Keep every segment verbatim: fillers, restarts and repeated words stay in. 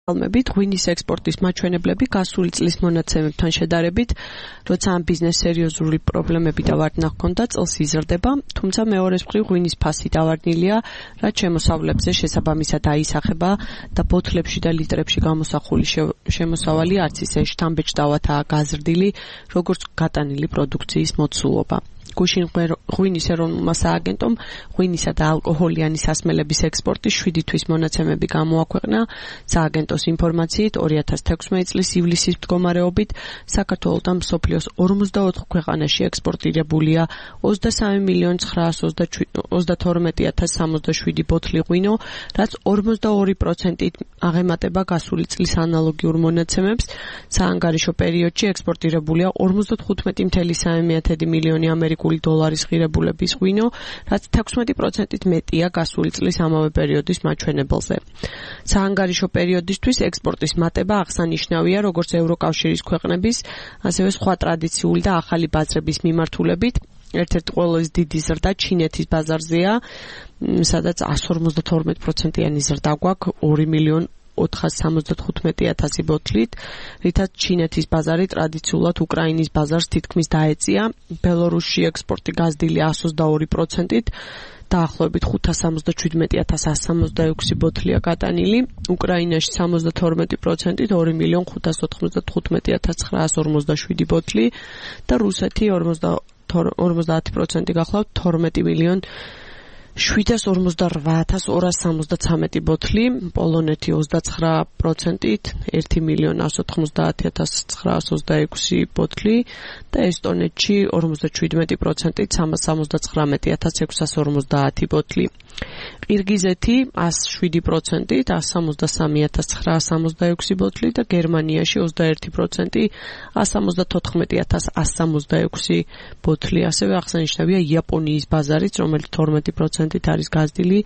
ალმებით ღვინის ექსპორტის მაჩვენებლები გასული წლის მონაცემებთან შედარებით, როცა ამ ბიზნეს სერიოზული პრობლემები და ვარდნა ჰქონდა, წელს იზრდება, თუმცა მეორეს მხრივ ღვინის ფასი დავარდნილია, რაც შემოსავლებზე შესაბამისად აისახება და ბოთლებში და ლიტრებში გამოსახული შემოსავალი არც ისე შთამბეჭდავათაა გაზრდილი, როგორც გატანილი პროდუქციის მოცულობა. გუშინ ღვინის ეროვნულმა სააგენტომ ღვინისა და ალკოჰოლიანი სასმელების ექსპორტის შვიდი თვის მონაცემები გამოაქვეყნა. სააგენტოს ინფორმაციით ორი ათას თექვსმეტი წლის ივლისის მდგომარეობით საქართველოდან მსოფლიოს ორმოცდაოთხ ქვეყანაში ექსპორტირებულია ოცდასამი მილიონი ცხრაასი ოცდათორმეტი ათას სამოცდაშვიდი ბოთლი ღვინო, რაც ორმოცდაორი პროცენტით აღემატება გასული წლის ანალოგიურ მონაცემებს. საანგარიშო პერიოდში ექსპორტირებულია ორმოცდათხუთმეტი მილიონი სამი მილიონი ამერიკული დოლარის ღირებულების ღვინო, რაც თექვსმეტი პროცენტით მეტია გასული წლის ამავე პერიოდის მაჩვენებელზე. საანგარიშო პერიოდისთვის ექსპორტის მატება აღსანიშნავია როგორც ევროკავშირის ქვეყნების, ასევე სხვა ტრადიციული და ახალი ბაზრების მიმართულებით. ერთ-ერთი ყველაზე დიდი ზრდა ჩინეთის ბაზარზეა, სადაც εκατს ორმოცდათორმეტი პროცენტიანი ზრდა გვაქვს ორი მილიონი ოთხასი სამოცდათხუთმეტი ათასი ბოთლით, რითაც ჩინეთის ბაზარი ტრადიციულად უკრაინის ბაზარს თითქმის დაეწია. ბელორუსში ექსპორტი გაზრდილი εκατს ოცდაორი პროცენტით, დაახლოებით ხუთას სამოცდაჩვიდმეტი ათას ასი სამოცდაექვსი ბოთლია გატანილი, უკრაინაში სამოცდათორმეტი პროცენტით ორი მილიონი ხუთას ოთხმოცდათხუთმეტი ათას ცხრაასი ორმოცდაშვიდი ბოთლი და რუსეთი ორმოცდაათი პროცენტი გახლავთ თორმეტი მილიონი შვიდას ორმოცდარვა ათას ორასი სამოცდაცამეტი ბოთლი, პოლონეთი ოცდაცხრა პროცენტით ერთი მილიონი ასი ოთხმოცდაათი ათას ცხრაასი ოცდაექვსი ბოთლი და ესტონეთში ორმოცდაჩვიდმეტი პროცენტით სამას სამოცდაცხრამეტი ათას ექვსასი ორმოცდაათი ბოთლი. ყირგიზეთი εκατს შვიდი პროცენტით εκατს სამოცდასამი ათას ცხრაასი სამოცდაექვსი ბოთლი და გერმანიაში ოცდაერთი პროცენტი εκατს სამოცდათოთხმეტი ათას ასი სამოცდაექვსი ბოთლი. ასევე აღსანიშნავია იაპონიის ბაზარიც, რომელიც თორმეტი პროცენტით არის გაზრდილი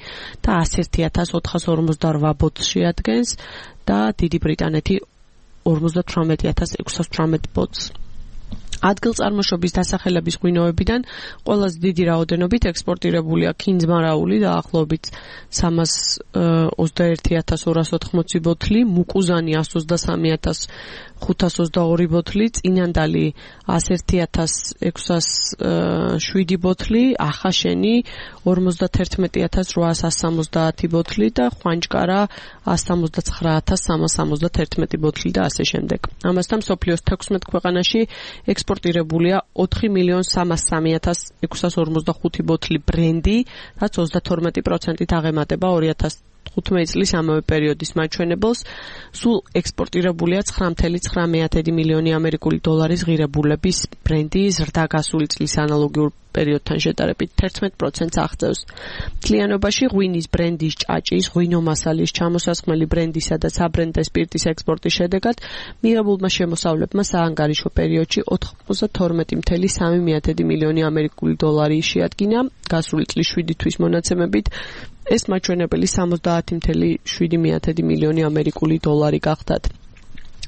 და ასი ათას ოთხას ორმოცდარვა ბოთლს შეადგენს და დიდი ბრიტანეთი ორმოცდათვრამეტი ათას ექვსას თვრამეტ ბოთლს. ადგილწარმოშობის დასახელების ღვინოებიდან ყველაზე დიდი რაოდენობით ექსპორტირებულია ქინძმარაული დაახლოებით სამას ოცდაერთი ათას ორასი ოთხმოცი ბოთლი, მუკუზანი εκατს ოცდასამი ათას ხუთას ოცდაორი ბოთლი, წინანდალი ასი ათას ექვსას შვიდი ბოთლი, ახაშენი ორმოცდათერთმეტი ათას რვაას სამოცდაათი ბოთლი და ხვანჭკარა εκατს სამოცდაცხრა ათას სამას სამოცდათერთმეტი ბოთლი და ასე შემდეგ. ამასთან მსოფლიოს თექვსმეტ ქვეყანაში ექსპორტირებულია ოთხი მილიონი სამას სამი ათას ექვსას ორმოცდახუთი ბოთლი ბრენდი, რაც ოცდათორმეტი პროცენტით აღემატება ორი ათას თხუთმეტი წლის ამავე პერიოდის მაჩვენებელს. სულ ექსპორტირებულია ცხრა მილიონი ცხრამეტი მილიონი ამერიკული დოლარის ღირებულების ბრენდი, ზრდა გასული წლის ანალოგიურ პერიოდთან შედარებით თერთმეტ პროცენტს აღწევს. მთლიანობაში ღვინის ბრენდის, ჭაჭის, ღვინო მასალის, ჩამოსასხმელი ბრენდისა და საბრენდე სპირტის ექსპორტის შედეგად მიღებულმა შემოსავლებმა საანგარიშო პერიოდში ოცდათორმეტი მილიონი სამი მილიონი ამერიკული დოლარი შეადგინა გასული წლის შვიდი თვის მონაცემებით. ეს მაჩვენებელი სამოცდაათი მილიონი შვიდი მილიონი ამერიკული დოლარი გახდათ.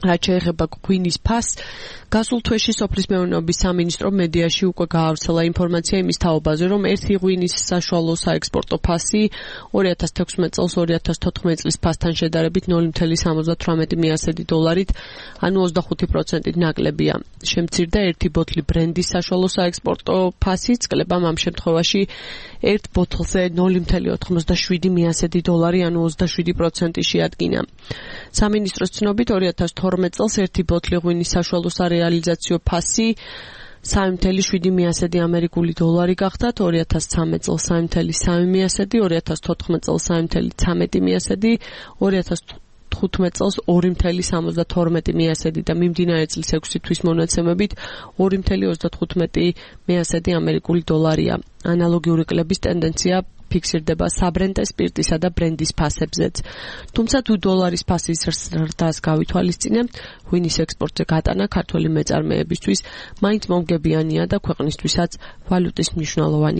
რაც შეეხება ღვინის ფასს, გასულ თვეში სოფლის მეურნეობის სამინისტრომ მედიაში უკვე გაავრცელა ინფორმაცია იმის თაობაზე, რომ ერთი ღვინის საშუალო საექსპორტო ფასი ორი ათას თექვსმეტი წელს ორი ათას თოთხმეტი წლის ფასთან შედარებით ნული მილიონი სამოცდათვრამეტი ათასი დოლარით, ანუ ოცდახუთი პროცენტით ნაკლებია. შემცირდა ერთი ბოთლი ბრენდის საშუალო საექსპორტო ფასიც, კლებამ ამ შემთხვევაში ერთ ბოთლზე ნული მილიონი ოთხმოცდაშვიდი ათასი დოლარი, ანუ ოცდაშვიდი პროცენტი შეადგინა. სამინისტროს ცნობით ორი ათას თორმეტი წელს ერთი ბოთლი ღვინის საშუალო სარეალიზაციო ფასი სამი მილიონი შვიდი ათასი ამერიკული დოლარი გახდათ, ორი ათას ცხრამეტი წელს სამი მილიონი სამი ათასი, ორი ათას თოთხმეტი წელს სამი მილიონი ცხრამეტი ათასი, ორი ათას თხუთმეტი წელს ორი მილიონი სამოცდათორმეტი ათასი და მიმდინარე წლის ექვსი თვის მონაცემებით ორი მილიონი ოცდათხუთმეტი ათასი ამერიკული დოლარია. ანალოგიური კლების ტენდენცია ფიქსირდება საბრენდე სპირტისა და ბრენდის ფასებზეც. თუმცა თუ დოლარის ფასის ზრდას გავითვალისწინებთ, ღვინის ექსპორტზე გატანა ქართველი მეწარმეებისთვის მაინც მომგებიანია და ქვეყნისთვისაც ვალუტის მნიშვნელოვანი